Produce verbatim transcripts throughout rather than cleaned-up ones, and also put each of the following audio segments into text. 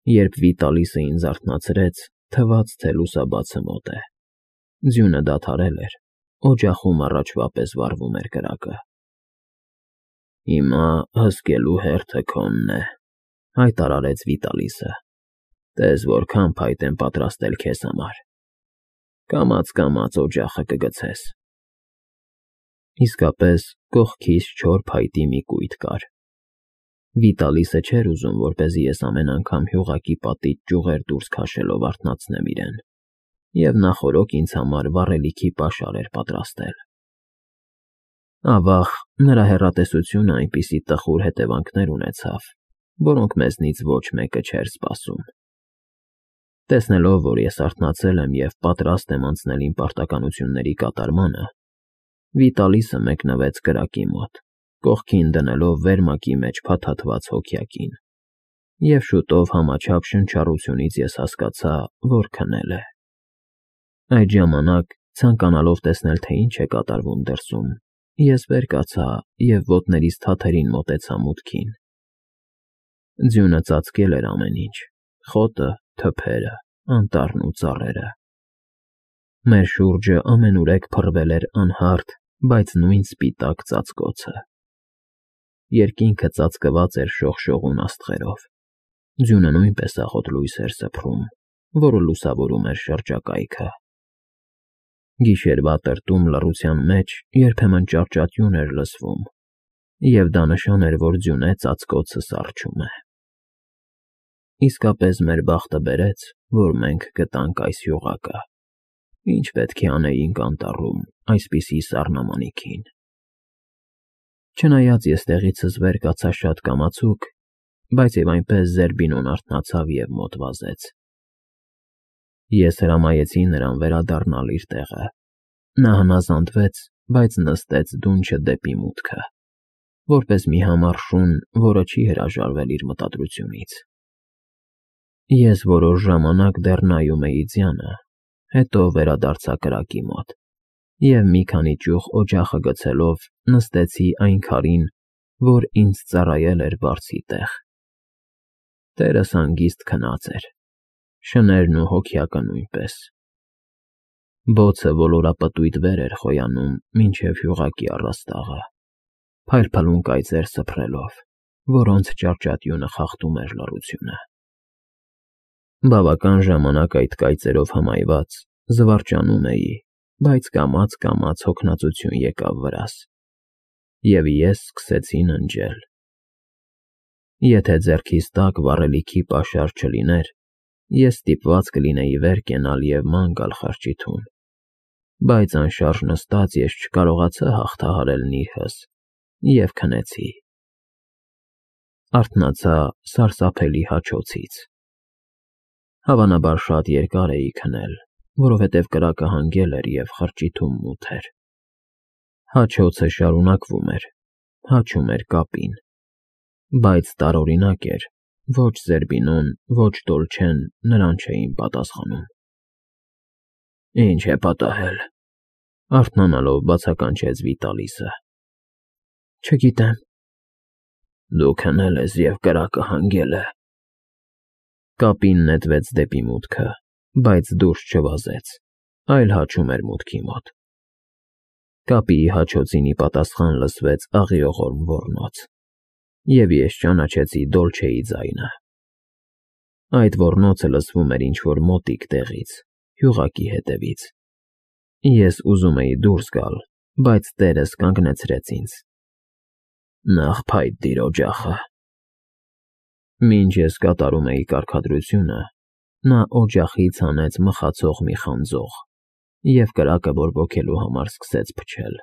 Երբ Վիտալիսը ինձ արթնացրեց, թվաց, թե լուսաբացը մոտ է։ Ձյունը դադարել էր, օջախում առաջվա պես վառվում էր կրակը։ Հիմա հսկելու հերթը քոնն է, հայտարարեց Վիտալիսը։ Տես որքան փայտ եմ պատրաստել քեզ համար։ Կամաց-կամաց օջախը կգցես։ Իսկապես, կողքիս չոր փայտի մի կույտ կար։ Վիտալիսը չէր ուզում, որպեսզի ես ամեն անգամ հյուղակի պատից ճյուղեր դուրս քաշելով արթնացնեմ իրեն, և նախօրոք ինձ համար վառելիքի պաշար էր պատրաստել։ Ավաղ, նրա հեռատեսությունը այնպիսի տխուր հետևանքներ ունեցավ, որոնք մեզնից ոչ մեկը չէր սպասում։ Տեսնելով, որ ես արթնացել եմ և պատրաստ եմ անցնել իմ պարտականությունների կատարմանը, Վիտալիսը մեկնվեց կրակի մոտ, կողքին դնելով վերմակի մեջ փաթաթված հոգյակին, և շուտով համաչափ շնչառությունից ես հասկացա, որ քնել է։ Այդ ժամանակ, ցանկանալով տեսնել, թե ինչ է կատարվում դրսում, ես վեր կացա և ոտներիս թաթերին մոտեցա մուտքին։ Ձյունը ծածկել էր ամեն ինչ՝ խոտը, թփերը, անտառն ու ծառերը։ Մեր շուրջը ամենուրեք փռվել էր անհարթ, բայց նույն սպիտակ ծածկոցը։ Երկինքը ծածկված էր շողշողուն աստղերով։ Ձյունը նույնպես աղոտ լույս էր սփռում, որը լուսավորում էր շրջակայքը։ Գիշերվա տրտում լռության մեջ երբեմն ճարճատյուն էր լսվում, և դա նշան էր, որ ձյունե ծածկոցը սառչում է։ Իսկապես մեր բախտը բերեց, որ մենք գտանք այս հյուղակը։ Ինչ պետք է անեինք անտառում այսպիսի սառնամանիքին։ Չնայած ես տեղիցս վեր կացա շատ կամացուկ, բայց և այնպես Զերբինոն արթնացավ և մոտ վազեց։ Ես հրամայեցի նրան վերադառնալ իր տեղը։ Նա հնազանդվեց, բայց նստեց դունչը դեպի մուտքը, որպես մի համառ շուն, որը չի հրաժարվել իր մտադրությունից։ Ես որոշ ժամանակ դեռ նայում էի ձյանը, հետո վերադարձա կրակի մոտ և մի քանի ճյուղ օջախը գցելով նստեցի այն քարին, որ ինձ ծառայել էր բարձի տեղ։ Տերս հանգիստ քնած էր, շներն ու հոգյակը նույնպես։ Բոցը ոլորապտույտ վեր էր խոյանում մինչև հյուղակի առաստաղը, փայլփլուն կայծեր սփռելով, որոնց ճարճատյունը խախտում էր լռությունը։ Բավական ժամանակ այդ կայծերով հմայված զվարճանում էի, բայց կամաց֊կամաց հոգնածություն եկավ վրաս, և ես սկսեցի ննջել։ Եթե ձեռքիս տակ վառելիքի պաշար չլիներ, ես ստիպված կլինեի վեր կենալ և ման գալ խրճիթում, բայց անշարժ նստած ես չկարողացա հաղթահարել նիրհս և քնեցի։ Արթնացա սարսափելի հաչոցից։ Հավանաբար շատ երկար էի քնել, որովհետև կրակը հանգել էր և խրճիթում մութ էր։ Հաչոցը շարունակվում էր, հաչում էր կապին, բայց տարօրինակ էր, ոչ Զերբինոն, ոչ Դոլչեն նրան չէին պատասխանում։ Ինչ է պատահել, արթնանալով բացականչեց Վիտալիսը։ Չգիտեմ։ Դու քնել ես և կրակը հանգել է։ Կապին նետվեց դեպի մուտքը, բայց դուրս չվազեց, այլ հաչում էր մուտքի մոտ։ Կապիի հաչոցին ի պատասխան լսվեց աղիողորմ ոռնոց, և ես ճանաչեցի Դոլչեի ձայնը։ Այդ ոռնոցը լսվում էր ինչ֊որ մոտիկ տեղից, հյուղակի հետևից։ Ես ուզում էի դուրս գալ, բայց տերս կանգնեցրեց ինձ։ Նախ փայտ դիր օջախը։ Մինչ ես կատարում էի կարգադրությունը, նա օջախից հանեց մխացող մի խանձող և կրակը բորբոքելու համար սկսեց փչել։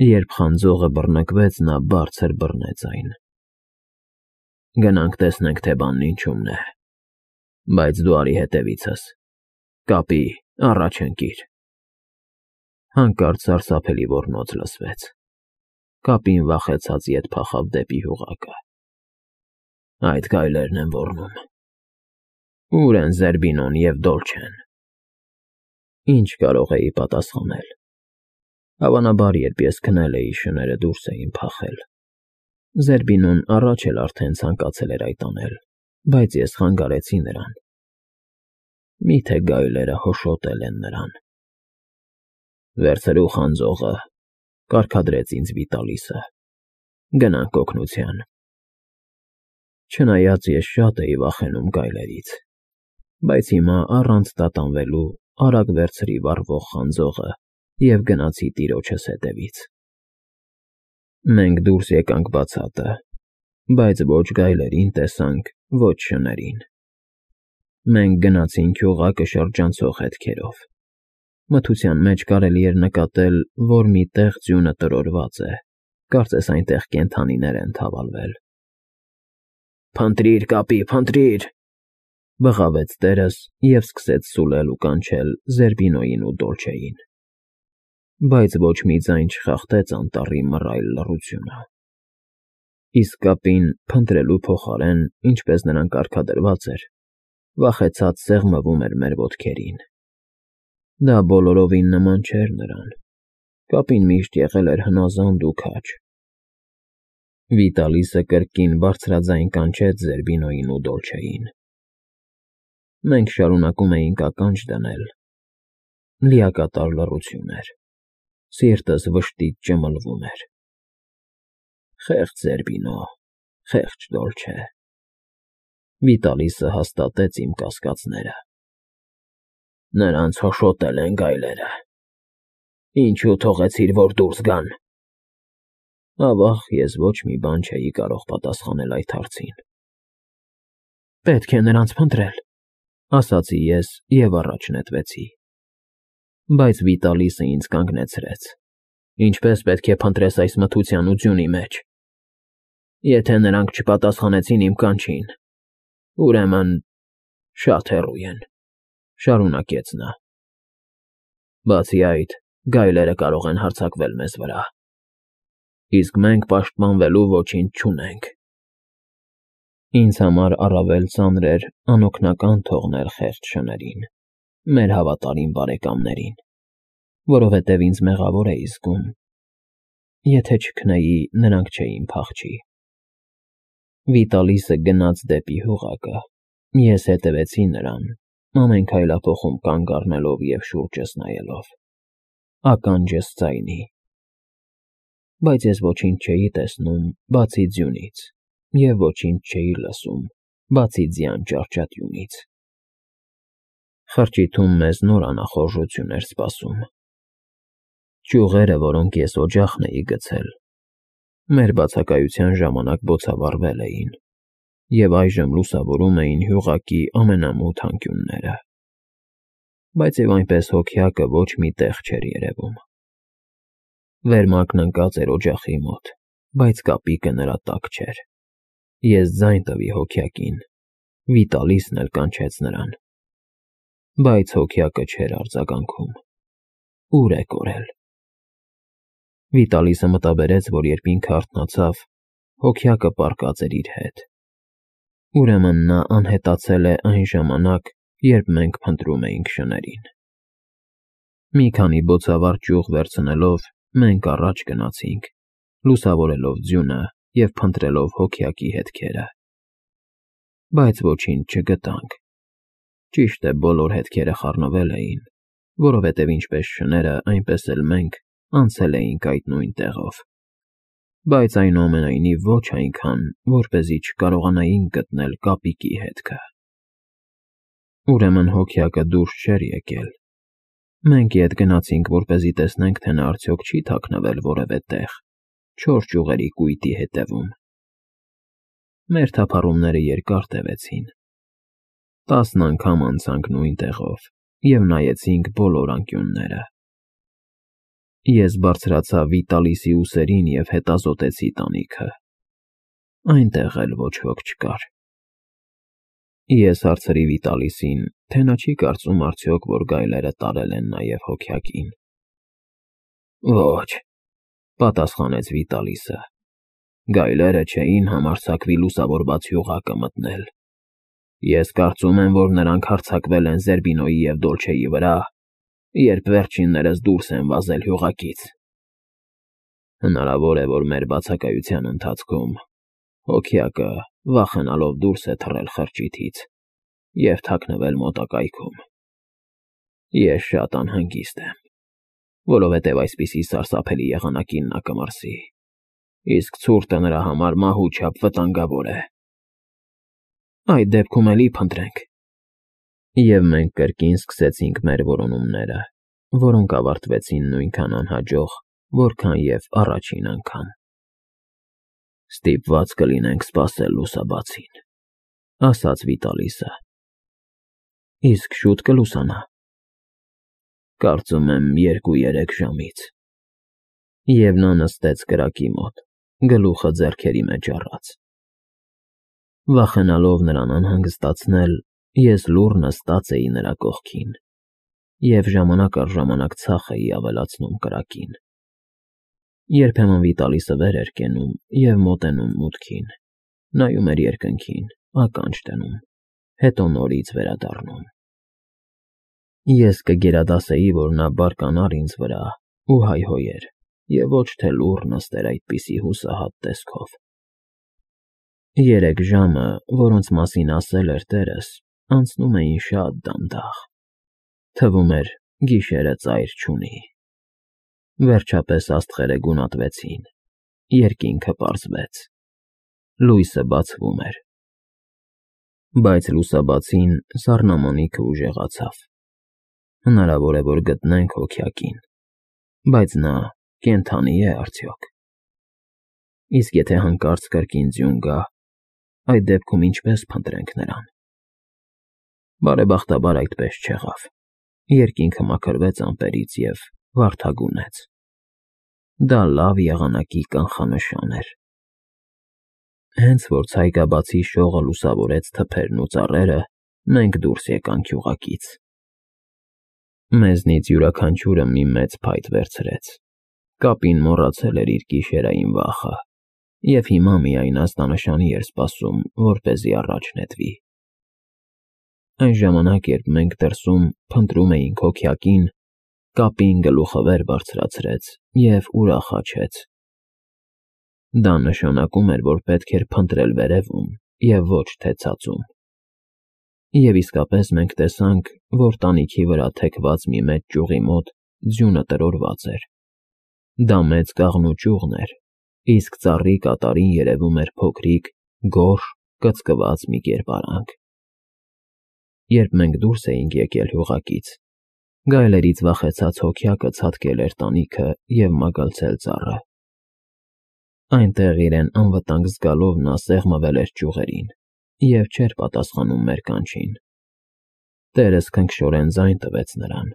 Երբ խանձողը բռնկվեց, նա բարձր բռնեց այն։ Գնանք տեսնենք, թե բանն ինչումն է, բայց դու արի հետևիցս։ Կապի, առաջ ընկիր։ Հանկարծ սարսափելի ոռնոց լսվեց։ Կապին վախեցած ետ փախավ դեպի հյուղակը։ Այդ գայլերն են ոռնում։ Ո՞ւր են Զերբինոն և Դոլչեն։ Ինչ կարող էի պատասխանել։ Հավանաբար, երբ ես քնել էի, շները դուրս էին փախել։ Զերբինոն առաջ էլ արդեն ցանկացել էր այդ անել, բայց ես խանգարեցի նրան։ Միթե գայլերը հոշոտել են նրան։ Վերցրու խանձողը, կարգադրեց ինձ Վիտալիսը, գնանք օգնության։ Չնայած ես շատ էի վախենում գայլերից, բայց հիմա առանց տատանվելու արագ վերցրի վառվող խանձողը և գնացի տիրոջս հետևից։ Մենք դուրս եկանք բացատը, բայց ոչ գայլերին տեսանք, ոչ շներին։ Մենք գնացինք հյուղակը շրջանցող հետքերով։ Մթության մեջ կարելի էր նկատել, որ մի տեղ ձյունը տրորված է, կարծես այնտեղ կենդանիներ են թավալվել։ «Փնտրիր, կապի, փնտրիր», բղավեց տերս և սկսեց սուլել ու կանչել Զերբինոյին ու Դոլչեին։ Բայց ոչ մի ձայն չխախտեց անտառի մռայլ լռությունը։ Իսկ կապին, փնտրելու փոխարեն, ինչպես նրան կարգադրված էր, վախեցած սեղմվում էր մեր ոտքերին։ Դա բոլորովին նման չէր նրան։ Կապին միշտ եղել էր հնազանդ ու քաջ։ Վիտալիսը կրկին բարձրաձայն կանչեց Զերբինոյին ու Դոլչեին։ Մենք շարունակում էինք ականջ դնել։ Լիակատար լռություն էր։ Սիրտս վշտից ճմլվում էր։ Խեղճ Զերբինո, խեղճ Դոլչե։ Վիտալիսը հաստատեց իմ կասկածները։ Նրանց հոշոտել են գայլերը։ Ինչու թողեցիր, որ դուրս գան։ Ավաղ ես ոչ մի բան չէի կարող պատասխանել այդ հարցին։ Պետք է նրանց փնտրել, ասացի ես և առաջ նետվեցի։ Բայց Վիտալիսը ինձ կանգնեցրեց։ Ինչպես պետք է փնտրես այս մթության ու ձյունի մեջ։ Եթե նրանք չպատասխանեցին իմ կանչին, ուրեմն շատ հեռու են, շարունակեց նա։ Բացի այդ, գայլերը կարող են հարձակվել մեզ վրա։ Իսկ մենք պաշտպանվելու ոչինչ չունենք։ Ինձ համար առավել ծանր էր անօգնական թողնել խեղճ շներին, մեր հավատարիմ բարեկամներին, որովհետև ինձ մեղավոր էի զգում։ Եթե չքնեի, նրանք չէին փախչի։ Վիտալիսը գնաց դեպի հյուղակը, ես հետևեցի նրան, ամեն քայլափոխում կանգ առնելով և շուրջս նայելով, ականջս ձայնի։ Բայց ես ոչինչ չէի տեսնում, բացի ձյունից, և ոչինչ չէի լսում, բացի ձյան ճարճատյունից։ Խրճիթում մեզ նոր անախորժություն էր սպասում։ Ճյուղերը, որոնք ես օջախն էի գցել, մեր բացակայության ժամանակ բոցավառվել էին և այժմ լուսավորում էին հյուղակի ամենամութ անկյունները։ Բայց և այնպես հոգյակը ոչ մի տեղ չէր երևում։ Վերմակն ընկած էր օջախի մոտ, բայց կապիկը նրա տակ չէր։ Ես ձայն տվի հոգյակին, Վիտալիսն էլ կանչեց նրան։ Բայց հոգյակը չէր արձագանքում։ Ուր է կորել։ Վիտալիսը մտաբերեց, որ երբ ինքը արթնացավ, հոգյակը պառկած էր իր հետ։ Ուրեմն նա անհետացել է այն ժամանակ, երբ մենք փնտրում էինք շներին։ Մի քանի բոցավառ ճյուղ վերցնելով, մենք առաջ գնացինք, լուսավորելով ձյունը և փնտրելով հոգյակի հետքերը։ Բայց ոչինչ չգտանք։ Ճիշտ է, բոլոր հետքերը խառնվել էին, որովհետև ինչպես շները, այնպես էլ մենք անցել էինք այդ նույն տեղով։ Բայց այնուամենայնիվ ոչ այնքան, որպեսզի չկարողանայինք գտնել կապիկի հետքը։ Ուրեմն հոգյակը դուրս չէր եկել։ Մենք ետ գնացինք, որպեսզի տեսնենք, թե նա արդյոք չի թաքնվել որևէ տեղ, չոր ճյուղերի կույտի հետևում։ Մեր թափառումները երկար տևեցին։ Տասն անգամ անցանք նույն տեղով և նայեցինք բոլոր անկյունները։ Ես բարձրացա Վիտալիսի ուսերին և հետազոտեցի տանիքը։ Այնտեղ էլ ոչ ոք չկար։ Ես հարցրի Վիտալիսին, թե նա չի կարծում արդյոք, որ գայլերը տարել են նաև հոգյակին։ Ոչ, պատասխանեց Վիտալիսը, գայլերը չէին համարձակվի լուսավորված հյուղակը մտնել։ Ես կարծում եմ, որ նրանք հարձակվել են Զերբինոյի և Դոլչեի վրա, երբ վերջիններս դուրս են վազել հյուղակից։ Հնարավոր է, որ մեր բացակայության ընթացքում հոգյակը վախենալով դուրս է թռել խրճիթից և թաքնվել մոտակայքում։ Ես շատ անհանգիստ եմ, որովհետև այսպիսի սարսափելի եղանակին նա կմրսի, իսկ ցուրտը նրա համար մահու չափ վտանգավոր է։ Այդ դեպքում էլի փնտրենք։ Եվ մենք կրկին սկսեցինք մեր որոնումները, որոնք ավարտվեցին նույնքան անհաջող, որքան և առաջին անգամ։ Ստիպված կլինենք սպասել լուսաբացին, ասաց Վիտալիսը։ Իսկ շուտ կլուսանա։ Կարծում եմ երկու֊երեք ժամից։ Եվ նա նստեց կրակի մոտ, գլուխը ձեռքերի մեջ առած։ Վախենալով նրան անհանգստացնել, ես լուռ նստած էի նրա կողքին և ժամանակ առ ժամանակ ցախ էի ավելացնում կրակին։ Երբեմն Վիտալիսը վեր էր կենում և մոտենում մուտքին, նայում էր երկնքին, ականջ դնում, հետո նորից վերադառնում։ Ես կգերադասեի, որ նա բարկանար ինձ վրա ու հայհոյեր և ոչ թե լուռ նստեր այդպիսի հուսահատ տեսքով։ Երեք ժամը, որոնց մասին ասել էր տերս, անցնում էին շատ դանդաղ, թվում էր գիշերը ծայր չունի։ Վերջապես աստղերը գունատվեցին, երկինքը պարզվեց, լույսը բացվում էր։ Բայց լուսաբացին սառնամանիքը ուժեղացավ։ Հնարավոր է, որ գտնենք հոգյակին, բայց նա կենդանի է արդյոք։ Իսկ եթե հանկարծ կրկին ձյուն գա, այդ դեպքում ինչպե՞ս փնտրենք նրան։ Բարեբախտաբար այդպես չեղավ։ Երկինքը մաքրվեց ամպերից և վարդագունեց։ Դա լավ եղանակի կանխանշան էր։ Հենց որ ցայգաբացի շողը լուսավորեց թփերն ու ծառերը, մենք դուրս եկանք գյուղակից։ Մեզնից յուրաքանչյուրը մի մեծ փայտ վերցրեց։ Կապին մոռացել էր իր գիշերային վախը և հիմա միայն ազդանշանի էր սպասում, որպեսզի առաջ նետվի։ Այն ժամանակ, երբ մենք դրսում փնտրում էինք հոգյակին, կապին գլուխը վեր բարձրացրեց և ուրախ հաչեց։ Դա նշանակում էր, որ պետք էր փնտրել վերևում և ոչ թե ցածում։ Եվ իսկապես մենք տեսանք, որ տանիքի վրա թեքված մի մեծ ճյուղի մոտ ձյունը տրորված էր։ Դա մեծ կաղնու ճյուղն էր, իսկ ծառի կատարին երևում էր փոքրիկ, գորշ, կծկված մի կերպարանք։ Երբ մենք դուրս էինք եկել գյուղակից, գայլերից վախեցած հոգյակը ցատկել էր տանիքը և մագլցել ծառը։ Այնտեղ իրեն անվտանգ զգալով նա սեղմվել էր ճյուղերին և չէր պատասխանում մեր կանչին։ Տերս քնքշորեն ձայն տվեց նրան,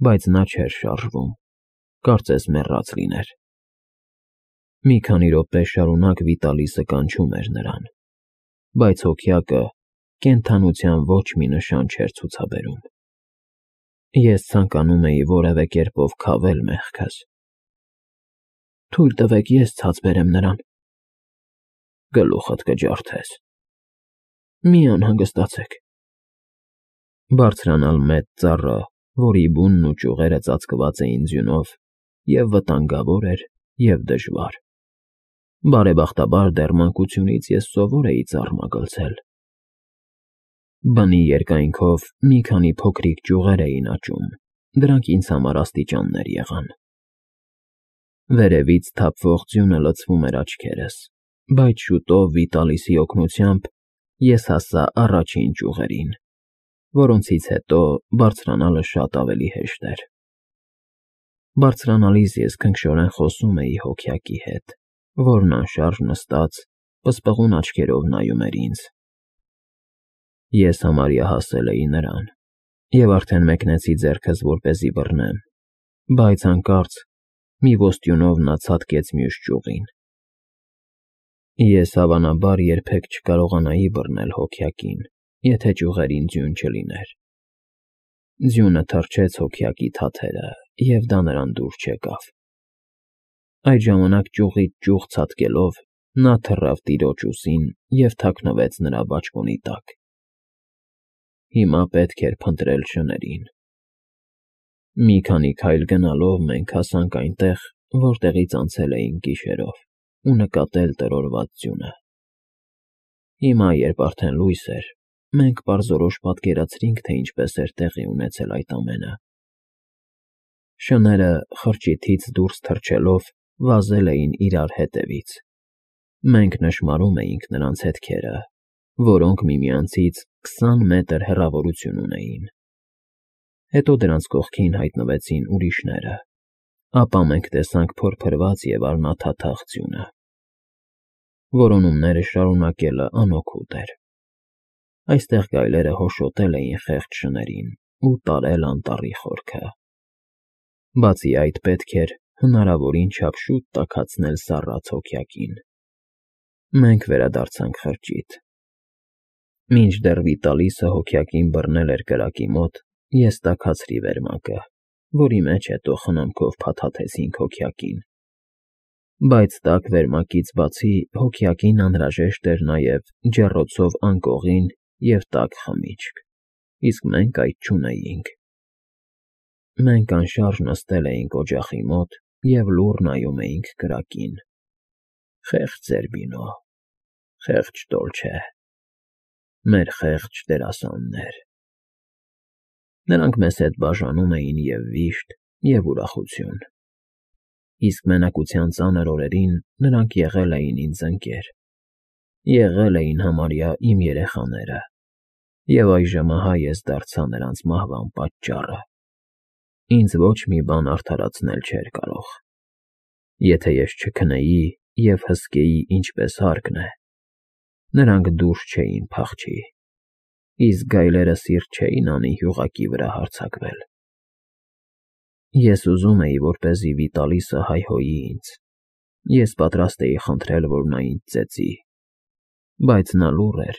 բայց նա չէր շարժվում, կարծես մեռած լիներ։ Մի քանի րոպե շարունակ Վիտալիսը կանչում էր նրան, բայց հոգյակը կենդանության ոչ մի նշան չէր ցուցաբերում։ Ես ցանկանում էի որևէ կերպով քավել մեղքս։ Թույլ տվեք ես ցած բերեմ նրան։ Գլուխդ կջարդես։ Մի անհանգստացեք։ Բարձրանալ մեծ ծառը, որի բունն ու ճյուղերը ծածկված էին ձյունով, և վտանգավոր էր, և դժվար։ Բարեբախտաբար դեռ մանկությունից ես սովոր էի ծառ մագլցել։ Բնի երկայնքով մի քանի փոքրիկ ճյուղեր էին աճում, դրանք ինձ համար աստիճաններ եղան։ Վերևից թափվող ձյունը լցվում էր աչքերս, բայց շուտով Վիտալիսի օգնությամբ ես հասա առաջին ճյուղերին, որոնցից հետո բարձրանալը շատ ավելի հեշտ էր։ Բարձրանալիս ես քնքշորեն խոսում էի հոգյակի հետ, որն անշարժ նստած, պսպղուն աչքերով նայում էր ինձ։ Ես համարյա հասել էի նրան և արդեն մեկնեցի ձեռքս, որպեսզի բռնեմ, բայց հանկարծ մի ոստյունով նա ցատկեց մյուս ճյուղին։ Ես հավանաբար երբեք չկարողանայի բռնել հոգյակին, եթե ճյուղերին ձյուն չլիներ։ Ձյունը թրջեց հոգյակի թաթերը, և դա նրան դուր չեկավ։ Այդ ժամանակ ճյուղից ճյուղ ցատկելով նա թռավ տիրոջ ուսին և թաքնվեց նրա բաճկոնի տակ։ Հիմա պետք էր փնտրել շներին։ Մի քանի քայլ գնալով մենք հասանք այնտեղ, որտեղից անցել էինք գիշերով, ու նկատել տրորված ձյունը։ Հիմա, երբ արդեն լույս էր, մենք պարզորոշ պատկերացրինք, թե ինչպես էր տեղի ունեցել այդ ամենը։ Շները, խրճիթից դուրս թռչելով, վազել էին իրար հետևից։ Մենք նշմարում էինք նրանց հետքերը, որոնք միմյանցից քսան մետր հեռավորություն ունեին։ Հետո դրանց կողքին հայտնվեցին ուրիշները, ապա մենք տեսանք փորփրված և արմաթաթախ ձյունը։ Որոնումները շարունակելը անօգուտ էր։ Այստեղ գայլերը հոշոտել էին խեղճ շներին ու տարել անտառի խորքը։ Բացի այդ, պետք էր հնարավորին չափ շուտ տաքացնել սառած հոգյակին։ Մենք վերադարձանք խրճիթ։ Մինչդեռ Վիտալիսը հոգյակին բռնել էր կրակի մոտ, ես տաքացրի վերմակը, որի մեջ հետո խնամքով փաթաթեցինք հոգյակին։ Բայց տաք վերմակից բացի հոգյակին անհրաժեշտ էր նաև ջեռոցով անկողին և տաք խմիչք, իսկ մենք այդ չունեինք։ Մենք անշարժ նստել էինք օջախի մոտ և լուռ նայում էինք կրակին։ Խեղճ Զերբինո, խեղճ Դոլչե, մեր խեղճ դերասաններ։ Նրանք մեզ հետ բաժանում էին և՛ վիշտ, և՛ ուրախություն։ Իսկ մենակության ծանր օրերին նրանք եղել էին ինձ ընկեր, եղել էին համարյա իմ երեխաները, և այժմ ահա ես դարձա նրանց մահվան պատճառը։ Ինձ ոչ մի բան արդարացնել չէր կարող։ Եթե ես չքնեի և հսկեի ինչպես հարկն է, նրանք դուրս չէին փախչի, իսկ գայլերը սիրտ չէին անի հյուղակի վրա հարձակվել։ Ես ուզում էի, որպեսզի Վիտալիսը հայհոյի ինձ, ես պատրաստ էի խնդրել, որ նա ինձ ծեծի, բայց նա լուռ էր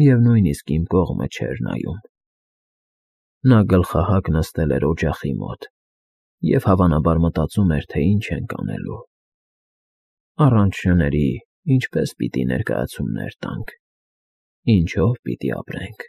և նույնիսկ իմ կողմը չէր նայում։ Նա գլխահակ նստել էր օջախի մոտ և հավանաբար մտածում էր, թե ինչ ենք անելու։ Առանց շների ինչպե՞ս պիտի ներկայացումներ տանք, ինչո՞վ պիտի ապրենք։